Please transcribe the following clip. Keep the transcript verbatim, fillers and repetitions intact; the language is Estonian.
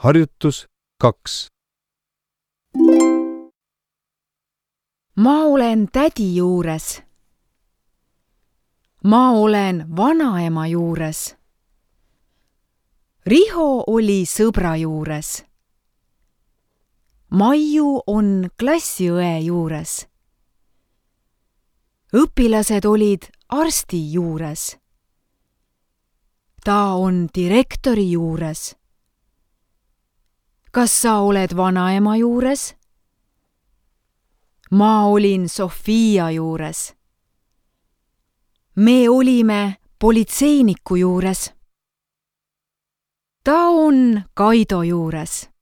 Harjutus kaks. Ma olen tädi juures. Ma olen vanaema juures. Riho oli sõbra juures. Maiu on klassiõe juures. Õpilased olid arsti juures. Ta on direktori juures. Kas sa oled vanaema juures? Ma olin Sofia juures. Me olime politseiniku juures. Ta on Kaido juures.